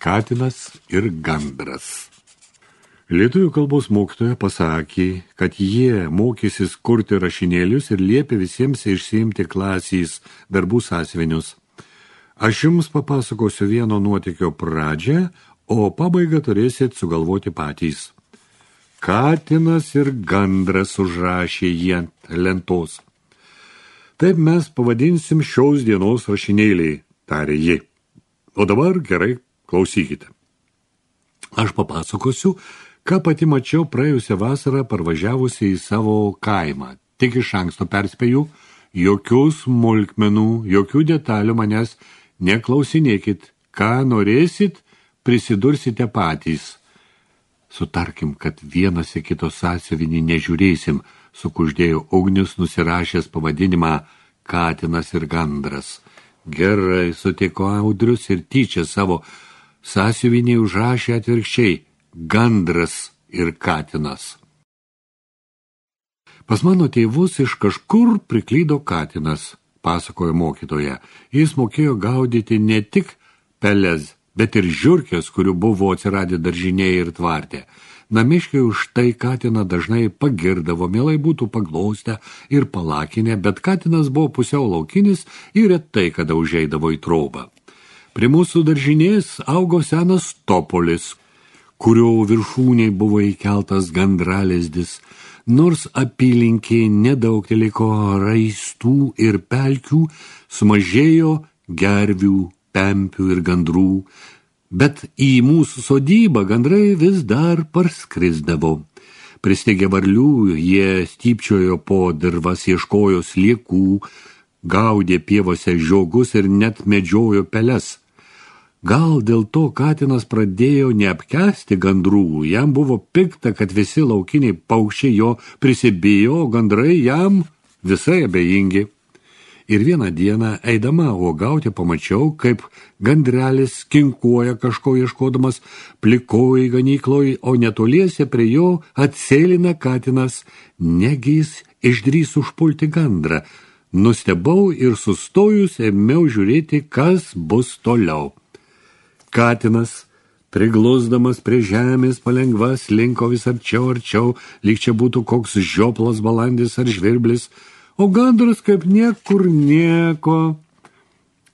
Katinas ir gandras. Lietuvių kalbos mokytoja pasakė, kad jie mokysis kurti rašinėlius ir liepė visiems išsiimti klasės darbų sąsiuvinius. Aš jums papasakosiu vieno nuotykio pradžią, o pabaigą turėsit sugalvoti patys. Katinas ir gandras užrašė jį ant lentos. Taip mes pavadinsim šios dienos rašinėliai, tarė ji. O dabar gerai klausykite. Aš papasakosiu, ką pati mačiau praėjusią vasarą parvažiavusi į savo kaimą. Tik iš anksto perspėju, jokių smulkmenų, jokių detalių manęs neklausinėkit. Ką norėsit, prisidursite patys. Sutarkim, kad vienas į kito sąsiuvinį nežiūrėsim, sukuždėjo Ugnius, nusirašęs pavadinimą Katinas ir gandras. Gerai, sutiko Audrius ir tyčia savo sąsiuvinį užrašė atvirkščiai Gandras ir Katinas. Pas mano tėvus iš kažkur priklydo Katinas, pasakojo mokytoja. Jis mokėjo gaudyti ne tik peles, bet ir žiurkės, kurių buvo atsiradę daržinėje ir tvarte. Namiškiai už tai Katiną dažnai pagirdavo, mielai būtų paglostę ir palakinę, bet Katinas buvo pusiau laukinis ir retai kada užeidavo į trobą. Prie mūsų daržinės augo senas topolis, kurio viršūnėj buvo įkeltas gandralizdis. Nors apylinkėje nedaug liko raistų ir pelkių, sumažėjo gervių, pempių ir gandrų, bet į mūsų sodybą gandrai vis dar parskrisdavo. Pristigę varlių, jie stypčiojo po dirvas, ieškojo sliekų, gaudė pievose žiogus ir net medžiojo peles. Gal dėl to Katinas pradėjo neapkęsti gandrų, jam buvo pikta, kad visi laukiniai paukščiai jo prisibijo, o gandrai jam visai abejingi. Ir vieną dieną, eidama uogauti, pamačiau, kaip gandrelis kinkuoja kažko ieškodamas plikoj ganykloj, o netoliese prie jo atsėlina Katinas, negi jis išdrįs užpulti gandrą. Nustebau ir sustojus ėmiau žiūrėti, kas bus toliau. Katinas, priglusdamas prie žemės palengva, slinko vis arčiau, lyg čia būtų koks žioplas balandis ar žvirblis, o gandras kaip niekur nieko.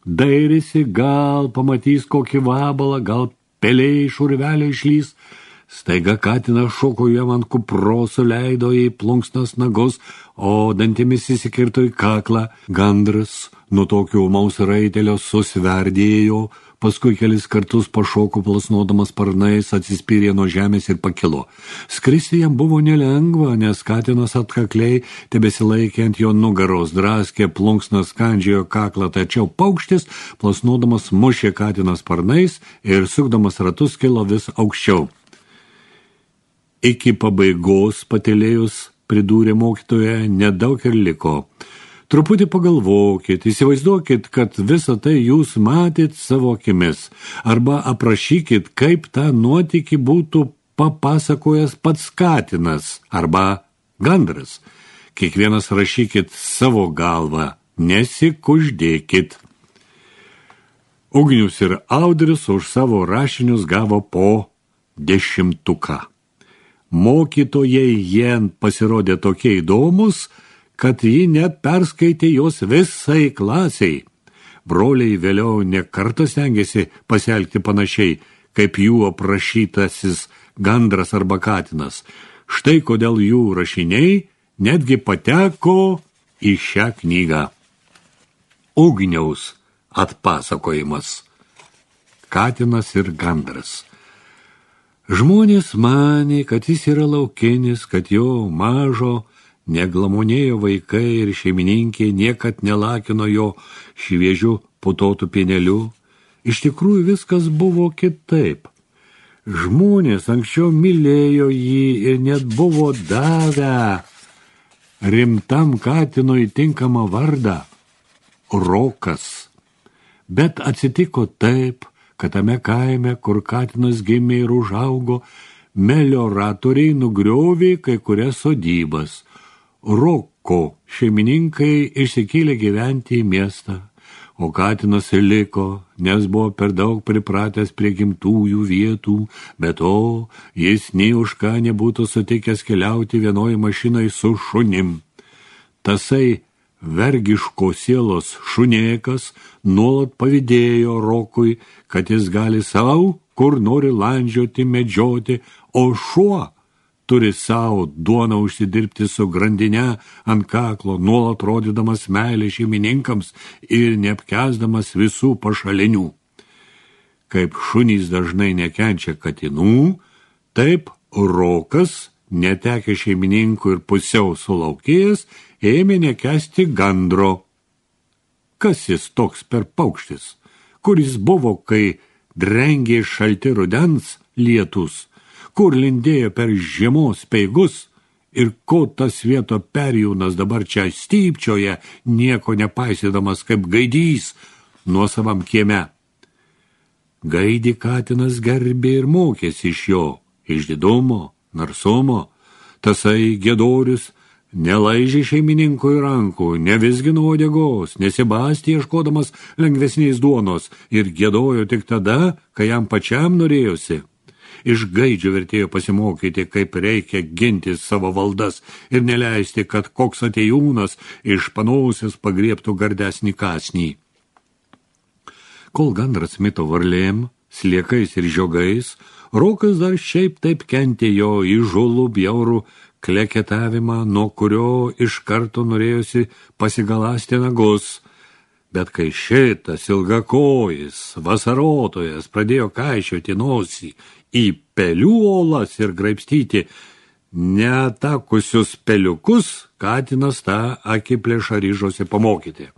Dairėsi, gal pamatys kokį vabalą, gal pelė iš urvelio išlys. Staiga Katinas šoko jam ant kupros, suleido į plunksnas nagus, o dantimis įsikirto į kaklą. Gandras nuo tokio ūmaus raitelio susverdėjo, paskui kelis kartus pašoko plasnodamas sparnais, atsispyrė nuo žemės ir pakilo. Skristi jam buvo nelengva, nes Katinas atkakliai tebesilaikė ant jo nugaros, draskė plunksnas, kandžiojo kaklą, tačiau paukštis, plasnodamas, mušė Katiną sparnais ir sukdamas ratus kilo vis aukščiau. Iki pabaigos, patylėjus, pridūrė mokytoja, nedaug ir liko. Truputį pagalvokit, įsivaizduokit, kad visą tai jūs matėt savo akimis, arba aprašykit, kaip tą nuotykį būtų papasakojęs pats Katinas arba gandras. Kiekvienas rašykit savo galvą, nesikuždėkit. Ugnius ir Audrius už savo rašinius gavo po 10. Mokytojai jie pasirodė tokie įdomus, kad ji net perskaitė jos visai klasiai. Broliai vėliau ne kartą stengiasi pasielgti panašiai, kaip jų aprašytasis gandras arba Katinas. Štai kodėl jų rašiniai netgi pateko į šią knygą. Ugniaus atpasakojimas. Katinas ir gandras. Žmonės manė, kad jis yra laukinis, kad jo mažo neglamonėjo vaikai ir šeimininkė niekad nelakino jo šviežių putotų pienelių. Iš tikrųjų viskas buvo kitaip. Žmonės anksčiau mylėjo jį ir net buvo davę rimtam Katinui tinkamą vardą – Rokas. Bet atsitiko taip, kad tame kaime, kur Katinas gimė ir užaugo, melioratoriai nugriovė kai kurias sodybas. Roko šeimininkai išsikėlė gyventi į miestą, O katinas liko, nes buvo per daug pripratęs prie gimtųjų vietų, bet to jis nei už ką nebūtų sutikęs keliauti vienoj mašinai su šunim. Tasai vergiško sielos šunėkas nuolat pavydėjo Rokui, kad jis gali savo, kur nori landžioti, medžioti, o šuo turi savo duoną užsidirbti su grandine ant kaklo, nuolat rodydamas meilę šeimininkams ir neapkęsdamas visų pašalinių. Kaip šunys dažnai nekenčia katinų, taip Rokas, netekę šeimininkų ir pusiau sulaukėjęs, ėmė nekęsti gandro. Kas jis toks per paukštis, kuris buvo, kai drengė šalti rudens lietus, kur lindėjo per žiemos speigus ir ko tas vieto perjūnas dabar čia stypčioje, nieko nepaisydamas kaip gaidys nuosavam kieme. Gaidį katinas gerbė ir mokėsi iš jo, išdidumo, narsumo. Tasai Giedorius nelaižė šeimininkui rankų, nevisgino uodegos, nesibastė ieškodamas lengvesnės duonos ir giedojo tik tada, kai jam pačiam norėjosi. Iš gaidžio vertėjo pasimokyti, kaip reikia ginti savo valdas ir neleisti, kad koks atėjūnas iš panosės pagriebtų gardesnį kąsnį. Kol gandras mito varlėm, sliekais ir žiogais, Rokas dar šiaip taip kentė jo įžulų bjaurų kleketavimą, nuo kurio iš karto norėjosi pasigaląsti nagus. Bet kai šitas ilgakojis, vasarotojas pradėjo kaišioti nosį į pelių olas ir graibstyti neatakusius peliukus, katinas tą akiplėšą ryžosi pamokyti.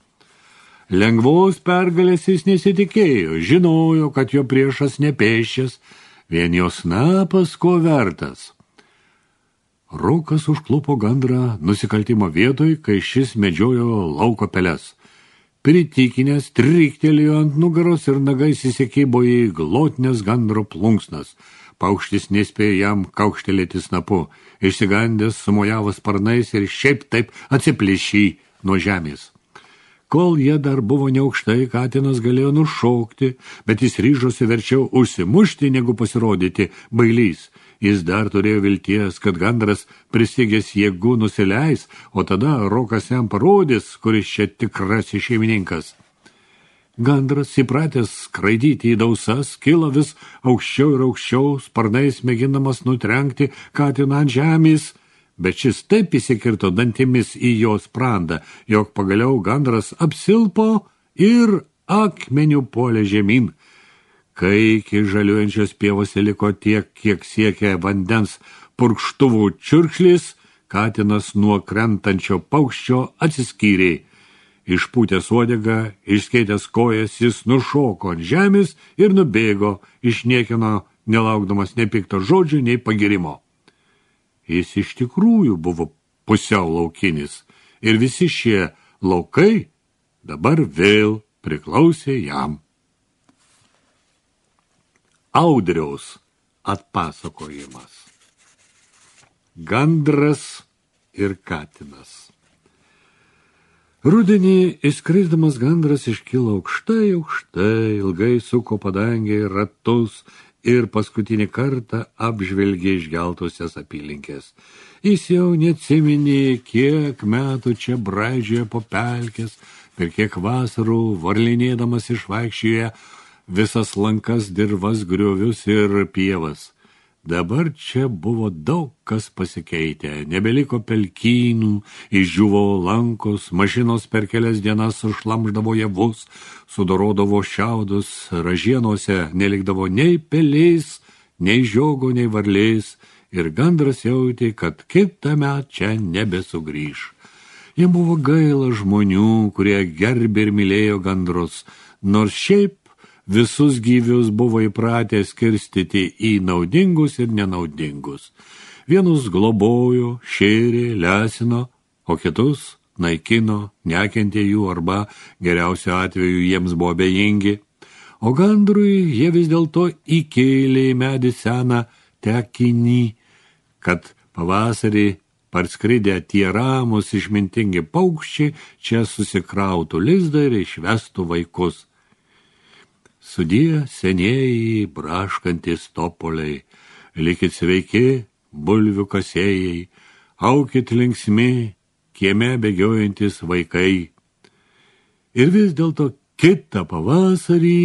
Lengvos pergalės jis nesitikėjo, žinojo, kad jo priešas nepėšęs, vien jo snapas ko vertas. Rokas užklupo gandrą nusikaltimo vietoj, kai šis medžiojo lauko peles. Pritikinęs triktelėjo ant nugaros ir nagais įsikibo į glotnes gandro plunksnas. Paukštis nespėjo jam kaukštelėti snapu, išsigandęs sumojavo sparnais ir šiaip taip atsiplėšė nuo žemės. Kol jie dar buvo neaukštai, katinas galėjo nušokti, bet jis ryžosi verčiau užsimušti, negu pasirodyti bailys. Jis dar turėjo vilties, kad gandras prisigęs jėgų nusileis, o tada Rokas jam parodys, kuris čia tikrasis šeimininkas. Gandras, įpratęs skraidyti į dausas, kilo vis aukščiau ir aukščiau, sparnais mėgindamas nutrenkti katiną ant žemės, bet šis taip įsikirto dantimis į jo sprandą, jog pagaliau gandras apsilpo ir akmeniu puolė žemyn. Kai iki žaliuojančios pievos liko tiek, kiek siekė vandens purkštuvų čiurkšlis, katinas nuo krentančio paukščio atsiskyrė. Išpūtęs uodegą, išskėtęs kojas, jis nušoko ant žemės ir nubėgo, išniekino, nelaukdamas nei pikto žodžio, nei pagirimo. Jis iš tikrųjų buvo pusiau laukinis ir visi šie laukai dabar vėl priklausė jam. Audriaus atpasakojimas. Gandras ir katinas. Rudenį išskrisdamas gandras iškilo aukštai, ilgai suko padangėje ratus ir paskutinį kartą apžvelgė išgeltusias apylinkės. Jis jau neatsiminė, kiek metų čia braidžiojo po pelkės, per kiek vasarų varlinėdamas išvaikščioje visas lankas, dirvas, griovius ir pievas. Dabar čia buvo daug kas pasikeitę, nebeliko pelkynų, išdžiuvo lankos, mašinos per kelias dienas sušlamždavo javus, sudorodavo šiaudus, ražienose nelikdavo nei pelės, nei žiogo, nei varlės, ir gandras jautė, kad kitąmet čia nebesugrįš. Jam buvo gaila žmonių, kurie gerbė ir mylėjo gandrus, nors šiaip visus gyvius buvo įpratę skirstyti į naudingus ir nenaudingus. Vienus globojo, šėrė, lesino, o kitus naikino, nekentė jų arba geriausiu atveju jiems buvo abejingi. O gandrui jie vis dėlto įkėlė į medį seną tekinį, kad pavasarį parskridę tie ramus išmintingi paukščiai čia susikrautų lizdą ir išvestų vaikus. Sudie senieji braškantys topoliai, likit sveiki, bulvių kasėjai, aukit linksmi, kieme bėgiojantis vaikai. Ir vis dėlto kitą pavasarį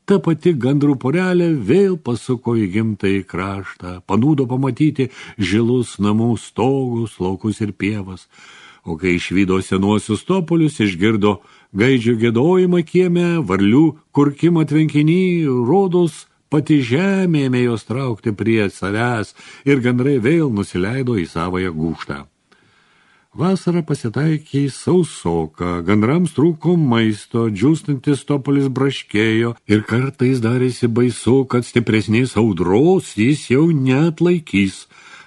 ta pati gandrų porelė vėl pasuko į gimtąjį kraštą, panūdo pamatyti žilus namų stogus, laukus ir pievas, o kai išvydo senuosius topolius, išgirdo gaidžių giedojimą kieme, varlių kurkimą tvenkinį, rodos pati žemė ėmė jos traukti prie savęs ir gandrai vėl nusileido į savąją gūžtą. Vasarą pasitaikė sausoka, gandrams trūko maisto, džiūstantis topolis braškėjo ir kartais darėsi baisu, kad stipresnės audros jis jau neatlaikys.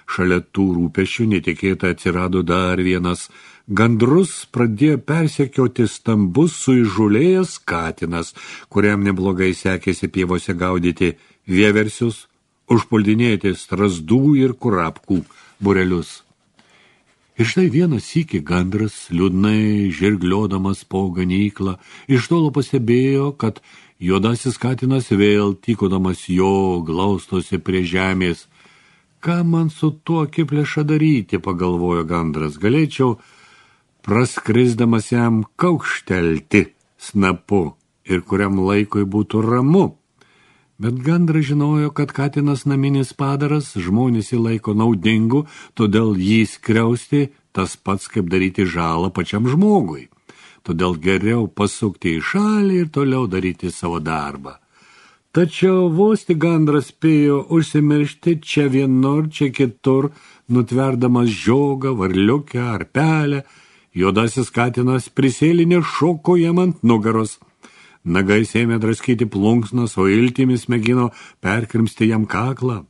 Šalia tų rūpesčių netikėtai atsirado dar vienas. Gandrus pradėjo persekioti stambus suįžulėjęs katinas, kuriam neblogai sekėsi pievose gaudyti vieversius, užpuldinėti strazdų ir kurapkų burelius. Ir štai vieną sykį gandras, liūdnai žirgliodamas po ganyklą, iš tolo pastebėjo, kad juodasis katinas vėl tykodamas jo glaustosi prie žemės. Ką man su tuo akiplėša daryti, pagalvojo gandras, galėčiau praskrisdamas jam kaukštelti snapu ir kuriam laikui būtų ramu. Bet gandras žinojo, kad katinas naminis padaras, žmonės jį laiko naudingu, todėl jį skriausti tas pats, kaip daryti žalą pačiam žmogui. Todėl geriau pasukti į šalį ir toliau daryti savo darbą. Tačiau vos tik gandras spėjo užsimiršti čia vienur, čia kitur, nutverdamas žiogą, varliukę ar pelę, juodasis katinas prisėlinė šoko jam ant nugaros. Nagais ėmė draskyti plunksnas, o iltimis mėgino perkrimsti jam kaklą.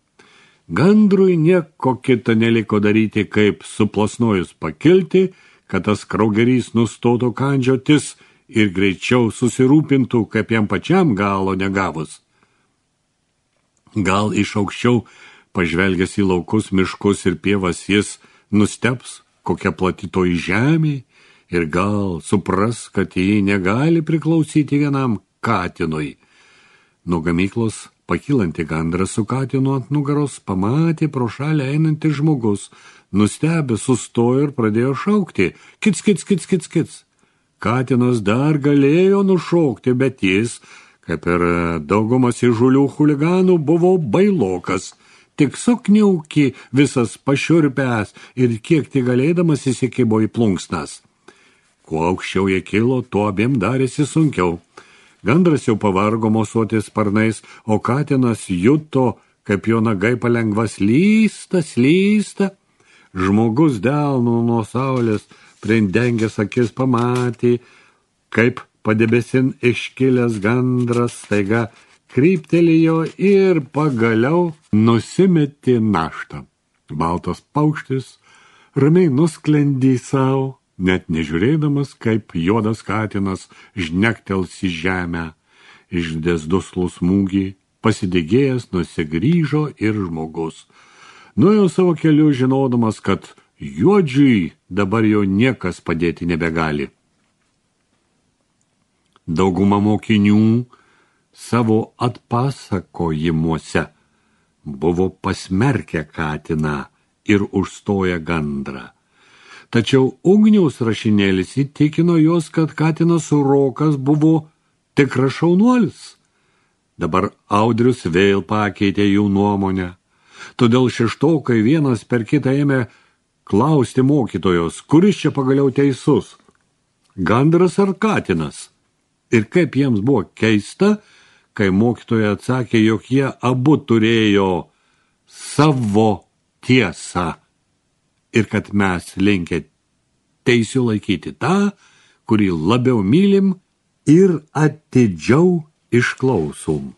Gandrui nieko kita neliko daryti, kaip suplasnojus pakilti, kad tas kraugerys nustotų kandžiotis ir greičiau susirūpintų, kaip jam pačiam galo negavus. Gal iš aukščiau, pažvelgęs į laukus, miškus ir pievas, jis nusteps, kokia plati toji žemė, ir gal supras, kad jį negali priklausyti vienam katinui. Nuo gamyklos pakylantį gandrą su katinu ant nugaros pamatė pro šalį einantis žmogus. Nustebęs sustojo ir pradėjo šaukti. Kits, kits, kits, kits, kits. Katinas dar galėjo nušaukti, bet jis, kaip ir daugumas įžulių chuliganų, buvo bailokas. Tik sukniaukė visas pašiurpęs ir kiek tik galėdamas įsikibo į plunksnas. Kuo aukščiau jie kilo, tuo abiem darėsi sunkiau. Gandras jau pavargo mosuoti sparnais, o katinas juto, kaip jo nagai palengva slysta. Žmogus delnu nuo saulės prindengęs akis pamatė, kaip padebesin iškilęs gandras staiga kryptelėjo ir pagaliau nusimetė naštą. Baltas paukštis ramiai nusklendė savo, net nežiūrėdamas, kaip juodas katinas žnektels į žemę. Išdės duslų smūgį, pasidegėjęs nusigrįžo ir žmogus. Nuėjo savo keliu, žinodamas, kad juodžiui dabar jau niekas padėti nebegali. Dauguma mokinių savo atpasakojimuose buvo pasmerkę katiną ir užstoję gandrą. Tačiau Ugniaus rašinėlis įtikino juos, kad katinas Rokas buvo tikras šaunuolis. Dabar Audrius vėl pakeitė jų nuomonę. Todėl šeštokai vienas per kitą ėmė klausti mokytojos, kuris čia pagaliau teisus, gandras ar katinas. Ir kaip jiems buvo keista, kai mokytoja atsakė, jog jie abu turėjo savo tiesą. Ir kad mes linkę teisių laikyti tą, kurį labiau mylim ir atidžiau išklausom.